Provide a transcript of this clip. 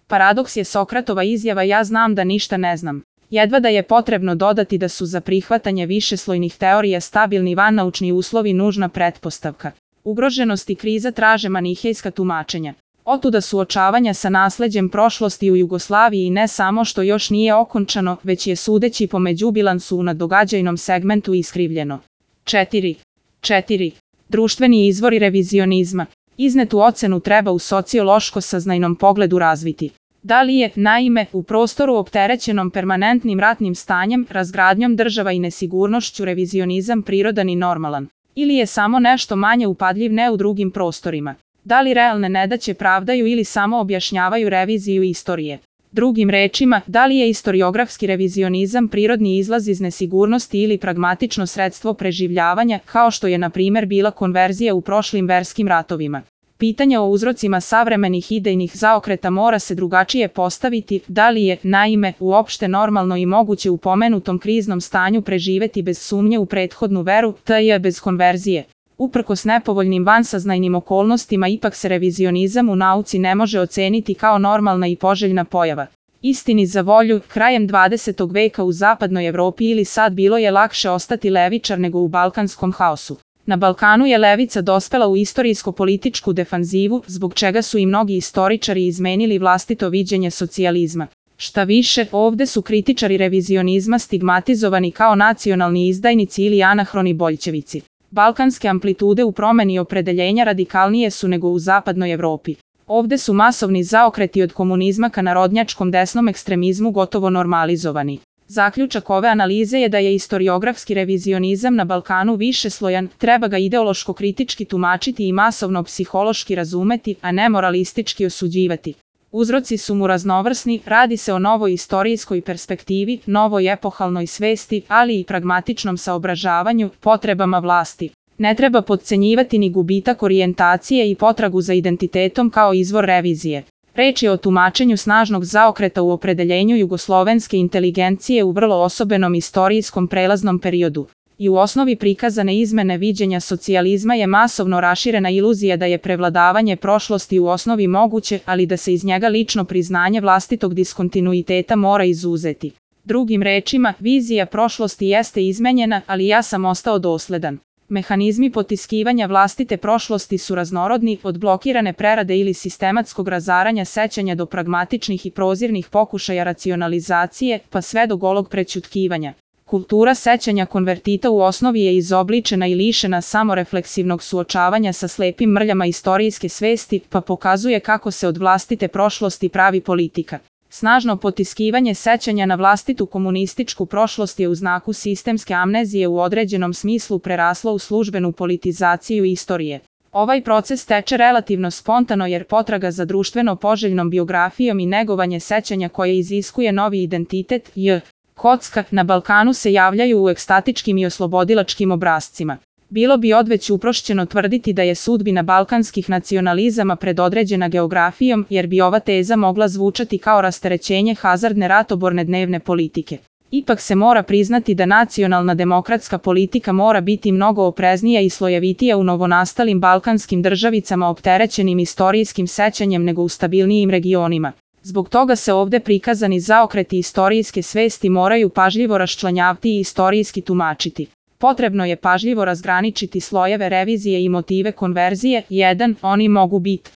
Paradoks je Sokratova izjava ja znam da ništa ne znam. Jedva da je potrebno dodati da su za prihvatanje višeslojnih teorija stabilni vannaučni uslovi nužna pretpostavka. Ugroženost i kriza traže manihejska tumačenja. Otuda suočavanja sa nasleđem prošlosti u Jugoslaviji ne samo što još nije okončano, već je sudeći po međubilansu na događajnom segmentu iskrivljeno. 4. Društveni izvori revizionizma. Iznetu ocenu treba u sociološko-saznajnom pogledu razviti. Da li je, naime, u prostoru opterećenom permanentnim ratnim stanjem, razgradnjom država i nesigurnošću revizionizam prirodan i normalan? Ili je samo nešto manje upadljiv ne u drugim prostorima? Da li realne nedaće pravdaju ili samo objašnjavaju reviziju istorije? Drugim rečima, da li je istoriografski revizionizam prirodni izlaz iz nesigurnosti ili pragmatično sredstvo preživljavanja, kao što je na primjer bila konverzija u prošlim verskim ratovima? Pitanje o uzrocima savremenih idejnih zaokreta mora se drugačije postaviti, da li je, naime, uopšte normalno i moguće u pomenutom kriznom stanju preživeti bez sumnje u prethodnu veru, t.j. bez konverzije. Uprkos nepovoljnim vansaznajnim okolnostima ipak se revizionizam u nauci ne može oceniti kao normalna i poželjna pojava. Istini za volju, krajem 20. veka u zapadnoj Evropi ili sad bilo je lakše ostati levičar nego u balkanskom haosu. Na Balkanu je levica dospela u istorijsko-političku defanzivu, zbog čega su i mnogi istoričari izmenili vlastito viđenje socijalizma. Šta više, ovde su kritičari revizionizma stigmatizovani kao nacionalni izdajnici ili anahroni boljćevici. Balkanske amplitude u promeni opredeljenja radikalnije su nego u zapadnoj Evropi. Ovde su masovni zaokreti od komunizma ka narodnjačkom desnom ekstremizmu gotovo normalizovani. Zaključak ove analize je da je istoriografski revizionizam na Balkanu višeslojan, treba ga ideološko-kritički tumačiti i masovno psihološki razumeti, a ne moralistički osuđivati. Uzroci su mu raznovrsni, radi se o novoj istorijskoj perspektivi, novoj epohalnoj svesti, ali i pragmatičnom saobražavanju, potrebama vlasti. Ne treba potcenjivati ni gubitak orijentacije i potragu za identitetom kao izvor revizije. Reč je o tumačenju snažnog zaokreta u opredeljenju jugoslovenske inteligencije u vrlo osobenom istorijskom prelaznom periodu. I u osnovi prikazane izmene viđenja socijalizma je masovno raširena iluzija da je prevladavanje prošlosti u osnovi moguće, ali da se iz njega lično priznanje vlastitog diskontinuiteta mora izuzeti. Drugim rečima, vizija prošlosti jeste izmenjena, ali ja sam ostao dosledan. Mehanizmi potiskivanja vlastite prošlosti su raznorodni, od blokirane prerade ili sistematskog razaranja sećanja do pragmatičnih i prozirnih pokušaja racionalizacije, pa sve do golog prećutkivanja. Kultura sećanja konvertita u osnovi je izobličena i lišena samorefleksivnog suočavanja sa slepim mrljama istorijske svesti, pa pokazuje kako se od vlastite prošlosti pravi politika. Snažno potiskivanje sećanja na vlastitu komunističku prošlost je u znaku sistemske amnezije u određenom smislu preraslo u službenu politizaciju istorije. Ovaj proces teče relativno spontano jer potraga za društveno poželjnom biografijom i negovanje sećanja koje iziskuje novi identitet, kocka, na Balkanu se javljaju u ekstatičkim i oslobodilačkim obrascima. Bilo bi odveć uprošćeno tvrditi da je sudbina balkanskih nacionalizama predodređena geografijom, jer bi ova teza mogla zvučati kao rasterećenje hazardne ratoborne dnevne politike. Ipak se mora priznati da nacionalna demokratska politika mora biti mnogo opreznija i slojevitija u novonastalim balkanskim državicama opterećenim istorijskim sećanjem nego u stabilnijim regionima. Zbog toga se ovde prikazani zaokreti istorijske svesti moraju pažljivo raščlanjavati i istorijski tumačiti. Potrebno je pažljivo razgraničiti slojeve revizije i motive konverzije. 1. Oni mogu biti